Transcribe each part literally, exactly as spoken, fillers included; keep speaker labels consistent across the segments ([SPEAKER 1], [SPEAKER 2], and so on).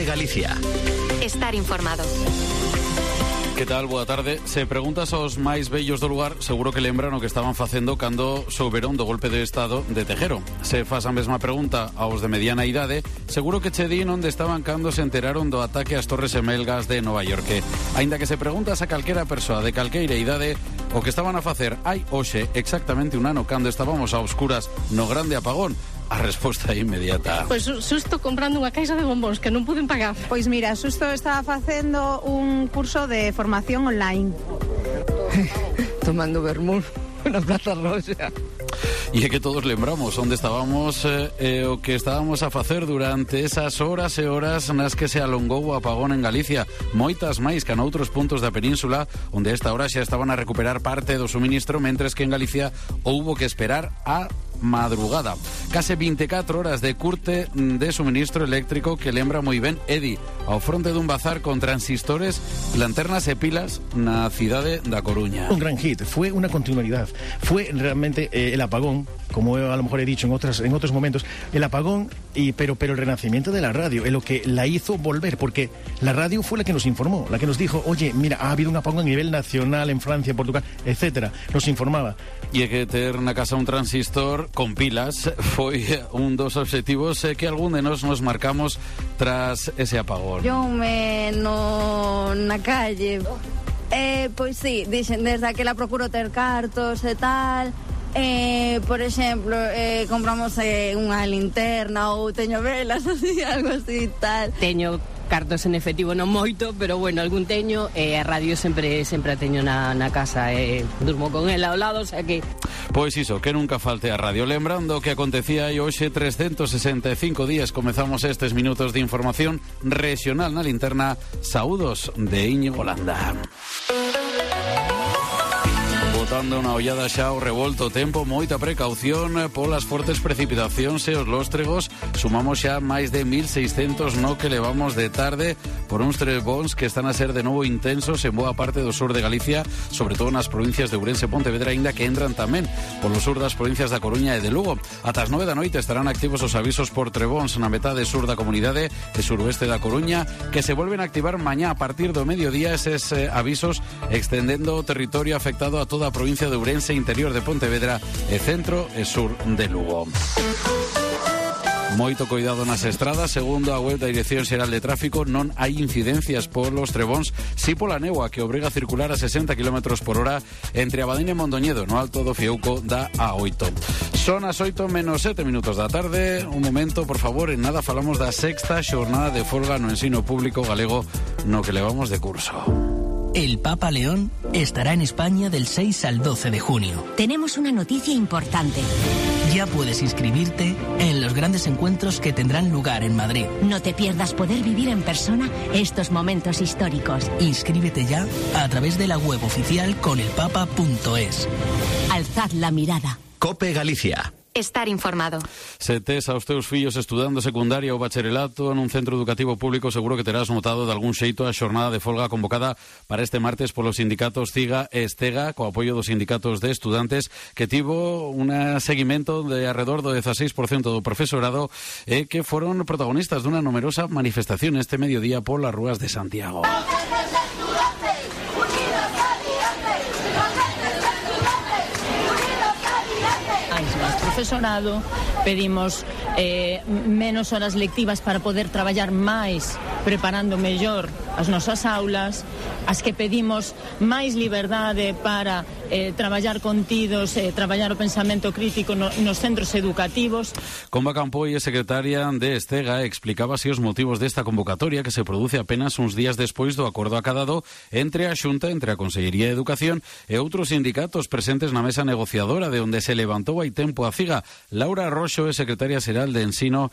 [SPEAKER 1] COPE Galicia.
[SPEAKER 2] Estar informado.
[SPEAKER 3] Que tal? Boa tarde. Se preguntas aos máis vellos do lugar, seguro que lembran o que estaban facendo cando souberon do golpe de estado de Tejero. Se faz a mesma pregunta aos de mediana idade, seguro que che din onde estaban cando se enteraron do ataque ás Torres Gemelgas de Nova York. Aínda que se preguntas a calquera persoa de calqueira idade o que estaban a facer hai hoxe exactamente un ano cando estábamos a oscuras no grande apagón, a resposta é inmediata.
[SPEAKER 4] Pois susto comprando unha caixa de bombóns que non puden pagar.
[SPEAKER 5] Pois mira, susto estaba facendo un curso de formación online.
[SPEAKER 6] Tomando vermú na Plaza Roxa.
[SPEAKER 3] E é que todos lembramos onde estábamos e eh, o que estábamos a facer durante esas horas e horas nas que se alongou o apagón en Galicia. Moitas máis que noutros puntos da península, onde a esta hora xa estaban a recuperar parte do suministro, mentres que en Galicia houbo que esperar a madrugada. Case vinte e catro horas de curte de suministro eléctrico que lembra moi ben Edi, ao fronte dun bazar con transistores, lanternas e pilas na cidade da Coruña.
[SPEAKER 7] Un gran hit, fue una continuidad, fue realmente eh, el apagón, como a lo mejor he dicho en otras en otros momentos, el apagón y pero pero el renacimiento de la radio, es lo que la hizo volver, porque la radio fue la que nos informó, la que nos dijo, oye, mira, ha habido un apagón a nivel nacional en Francia, Portugal, etcétera, nos informaba.
[SPEAKER 3] E é que ter na casa un transistor con pilas foi un dos obxectivos que algún de nós nos marcamos tras ese apagón.
[SPEAKER 8] Yo me no na calle, eh, pois sí, dixen, desde aquela procuro ter cartos e tal. Eh, por exemplo, eh, compramos eh, unha linterna ou teño velas, así, algo así tal.
[SPEAKER 4] Teño cartos en efectivo non moito, pero bueno, algún teño e eh, a radio sempre sempre a teño na, na casa e eh, durmo con ela ao lado, o sea que...
[SPEAKER 3] Pois iso, que nunca falte a radio. Lembrando que acontecía aí hoxe trescentos sesenta e cinco días. Comezamos estes minutos de información regional na linterna. Saúdos de Íñigo Landa. Botando unha ollada xa ao revolto tempo, moita precaución polas fortes precipitacións e os lóstregos. Sumamos xa máis de mil seiscentos no que levamos de tarde por uns trebóns que están a ser de novo intensos en boa parte do sur de Galicia, sobre todo nas provincias de Ourense e Pontevedra, aínda que entran tamén polo sur das provincias da Coruña e de Lugo. Ata as nove da noite estarán activos os avisos por trebóns na metade sur da comunidade e suroeste da Coruña, que se volven a activar mañá a partir do mediodía eses eh, avisos, extendendo o territorio afectado a toda a provincia de Ourense, interior de Pontevedra e centro e sur de Lugo. Moito cuidado nas estradas. Segundo a web da Dirección Xeral de Tráfico, non hai incidencias polos trebóns, si pola néboa que obriga a circular a sesenta kilómetros por hora entre Abadín e Mondoñedo, no alto do Fiouco da A oito. Son as oito menos sete minutos da tarde. Un momento, por favor, en nada falamos da sexta xornada de folga no ensino público galego no que levamos de curso.
[SPEAKER 9] El Papa León estará en España del seis al doce de junio.
[SPEAKER 2] Tenemos una noticia importante.
[SPEAKER 9] Ya puedes inscribirte en los grandes encuentros que tendrán lugar en Madrid.
[SPEAKER 2] No te pierdas poder vivir en persona estos momentos históricos.
[SPEAKER 9] Inscríbete ya a través de la web oficial conelpapa punto es.
[SPEAKER 2] Alzad la mirada.
[SPEAKER 1] COPE Galicia.
[SPEAKER 2] Estar informado.
[SPEAKER 3] Se tes aos teus fillos estudando secundaria ou bacharelato nun centro educativo público, seguro que terás notado de algún xeito a xornada de folga convocada para este martes polos sindicatos CIGA e Estega, co apoio dos sindicatos de estudantes, que tivo un seguimento de alrededor do dieciséis por cento do profesorado e que foron protagonistas dunha numerosa manifestación este mediodía polas rúas de Santiago.
[SPEAKER 10] Profesorado, pedimos eh, menos horas lectivas para poder traballar máis, preparando mellor as nosas aulas, as que pedimos máis liberdade para eh, traballar contidos, eh, traballar o pensamento crítico no, nos centros educativos.
[SPEAKER 3] Comba Campoy, secretaria de Estega, explicaba así os motivos desta convocatoria que se produce apenas uns días despois do acordo acadado entre a Xunta, entre a Consellería de Educación e outros sindicatos presentes na mesa negociadora, de onde se levantou hai tempo a CIGA. Laura Roxo é secretaria xeral de Ensino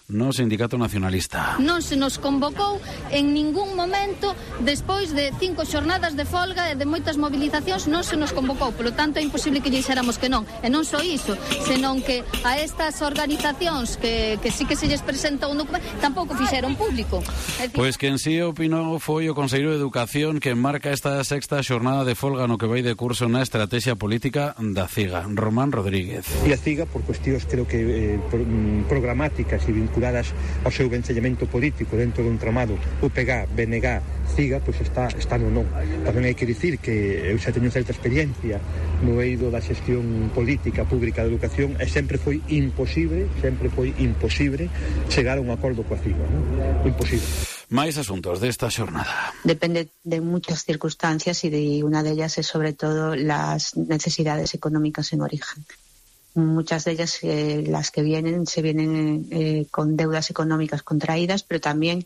[SPEAKER 3] no Sindicato Nacionalista.
[SPEAKER 11] Non se nos convocou en ningún momento
[SPEAKER 1] momento, despois de cinco xornadas de folga e de moitas mobilizacións, non se nos convocou, polo tanto é imposible que lle dixéramos que non. E non só iso, senón que a estas organizacións que, que sí que se lles presenta un documento, tampouco fixeron público.
[SPEAKER 3] Pois pues quen si opinou foi o Conselleiro de Educación, que marca esta sexta xornada de folga no que vai de curso na estrategia política da CIGA. Román Rodríguez.
[SPEAKER 11] E a CIGA, por cuestións creo que eh, programáticas e vinculadas ao seu vencellamento político dentro dun tramado U P G, B N G, CIGA, pois está, está no non. Tamén hai que dicir que eu xa teño certa experiencia no eido da xestión política pública de educación e sempre foi imposible, sempre foi imposible chegar a un acordo coa CIGA, non? Imposible.
[SPEAKER 3] Máis asuntos desta xornada.
[SPEAKER 12] Depende de muchas circunstancias y de una de ellas es sobre todo las necesidades económicas en origen. Muchas de ellas, eh, las que vienen, se vienen eh, con deudas económicas contraídas, pero también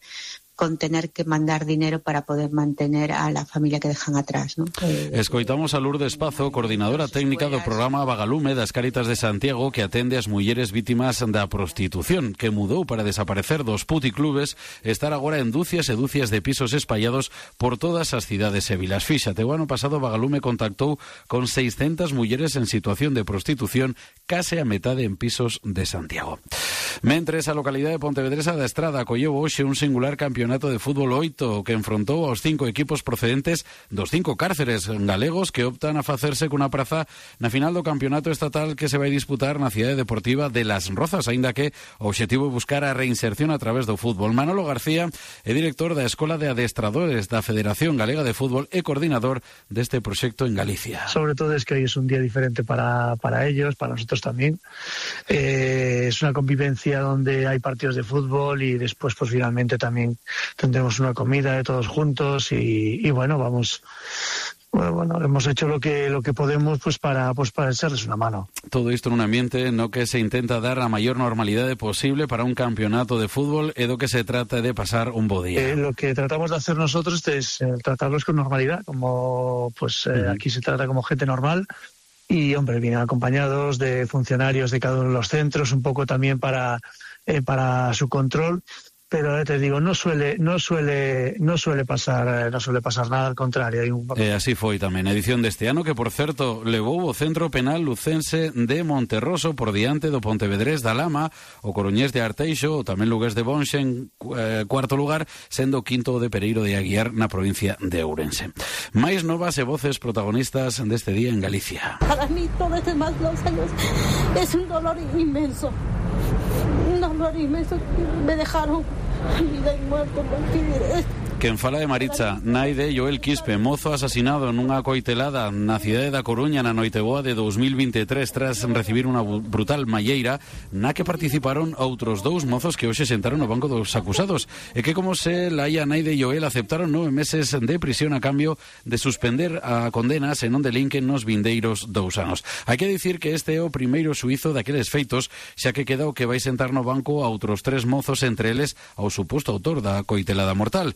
[SPEAKER 12] con tener que mandar dinero para poder mantener a la familia que dejan atrás, ¿no? Eh,
[SPEAKER 3] Escoitamos a Lourdes Pazo, coordinadora técnica do programa Vagalume das Cáritas de Santiago, que atende as mulleres vítimas da prostitución, que mudou para desaparecer dos puticlubes e estar agora en dúcias e dúcias de pisos espallados por todas as cidades e vilas. Fíxate, o ano pasado Vagalume contactou con seiscentas mulleres en situación de prostitución, case a metade en pisos de Santiago. Mentres, a localidade de Pontevedresa da Estrada acolleu hoxe un singular campeonato de fútbol oito que enfrontou aos cinco equipos procedentes dos cinco cárceres galegos que optan a facerse cunha praza na final do campeonato estatal que se vai disputar na cidade deportiva de Las Rozas, aínda que o obxectivo é buscar a reinserción a través do fútbol. Manolo García é director da Escola de Adestradores da Federación Galega de Fútbol e coordinador deste proxecto en Galicia.
[SPEAKER 13] Sobre todo es que hoy es un día diferente para, para ellos, para nosotros también. Eh, es una convivencia donde hay partidos de fútbol y después pues finalmente también tendremos una comida de todos juntos y, y bueno, vamos... Bueno, bueno, hemos hecho lo que lo que podemos pues para pues para echarles una mano.
[SPEAKER 3] Todo isto en un ambiente no que se intenta dar a maior normalidade posible para un campeonato de fútbol e do que se trata de pasar un bo día.
[SPEAKER 13] Eh, lo que tratamos de hacer nosotros es eh, tratarlos con normalidad, como pues eh, uh-huh. Aquí se trata como gente normal. Y, hombre, vienen acompañados de funcionarios de cada uno de los centros, un poco también para, eh, para su control. Pero eh, te digo, no suele, no suele, no suele pasar, eh, no suele pasar nada, al contrario. Hay un...
[SPEAKER 3] E así foi tamén a edición deste ano, que, por certo, levou o Centro Penal Lucense de Monterroso por diante do Pontevedrés da Lama, o Coruñés de Arteixo, ou tamén Lugués de Bonxe en eh, cuarto lugar, sendo o quinto de Pereiro de Aguiar na provincia de Ourense. Máis novas e voces protagonistas deste día en Galicia.
[SPEAKER 14] Para mí, todos estos más dos años es un dolor inmenso. Un dolor inmenso. Me dejaron vida y muerto porque...
[SPEAKER 3] Quen fala de Maritza, nai de Joel Quispe, mozo asasinado nunha coitelada na cidade da Coruña na noiteboa de dos mil vinte e tres tras recibir unha brutal malleira na que participaron outros dous mozos que hoxe sentaron no banco dos acusados e que, como se laia nai de Joel, aceptaron nove meses de prisión a cambio de suspender a condena se non delinquen nos vindeiros dous anos. Hai que dicir que este é o primeiro xuízo daqueles feitos, xa que queda o que vai sentar no banco a outros tres mozos, entre eles ao suposto autor da coitelada mortal.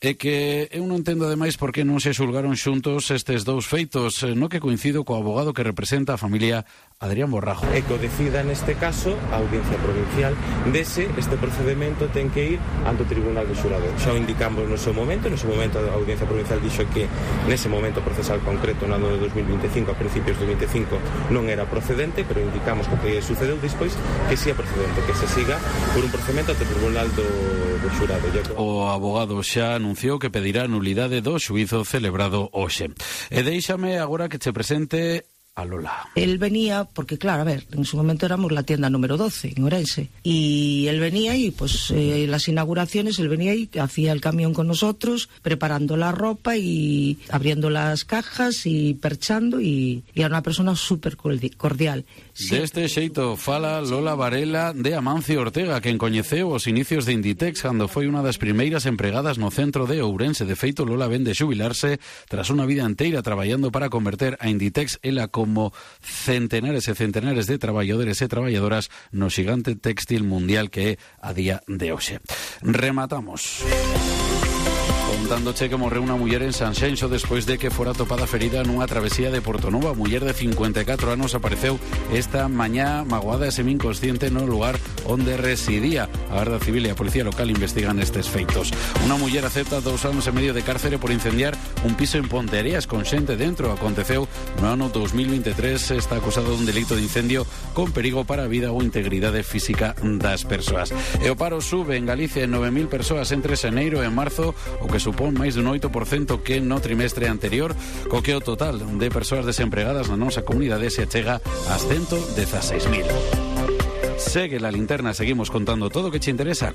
[SPEAKER 3] É que eu non entendo ademais por que non se xulgaron xuntos estes dous feitos, no que coincido co abogado que representa a familia Adrián Borrajo.
[SPEAKER 15] E que o decida neste caso a Audiencia Provincial dese este procedimento ten que ir ante o Tribunal de Xurado. Xa o indicamos no seu momento, no seu momento a Audiencia Provincial dixo que nese momento procesal concreto no ano de dos mil vinte e cinco, a principios do vinte e cinco, non era procedente, pero indicamos que o que sucedeu despois que si é procedente, que se siga por un procedimento ante o Tribunal do, do Xurado.
[SPEAKER 3] O abogado xa anunciou que pedirá nulidade do xuízo celebrado hoxe. E déixame agora que che presente a Lola.
[SPEAKER 6] Él venía, porque claro, a ver, en su momento éramos la tienda número doce en Ourense, y él venía y pues eh, las inauguraciones, él venía y hacía el camión con nosotros, preparando la ropa y abriendo las cajas y perchando, y, y era una persona súper cordial.
[SPEAKER 3] Sí. Deste xeito fala Lola Varela de Amancio Ortega, quen coñeceu os inicios de Inditex cando foi unha das primeiras empregadas no centro de Ourense. De feito, Lola vende xubilarse tras unha vida inteira traballando para converter a Inditex ela como centenares e centenares de traballadores e traballadoras no xigante textil mundial que é a día de hoxe. Rematamos. O Contándoche que morreu unha muller en Sanxenxo despois de que fora topada ferida nunha travesía de Portonova. A muller de cincuenta e catro anos apareceu esta mañá magoada e semi-inconsciente no lugar onde residía. A Garda Civil e a Policía Local investigan estes feitos. Unha muller acepta dous anos e medio de cárcere por incendiar un piso en Ponteareas con xente dentro. Aconteceu no ano dos mil veintitrés. Está acusado dun delito de incendio con perigo para a vida ou integridade física das persoas. E o paro sube en Galicia en nove mil persoas entre xaneiro e marzo, o que supón máis dun oito por cento que no trimestre anterior, co que o total de persoas desempregadas na nosa comunidade se achega ás ciento dieciséis mil. Segue la linterna, seguimos contando todo o que te interesa.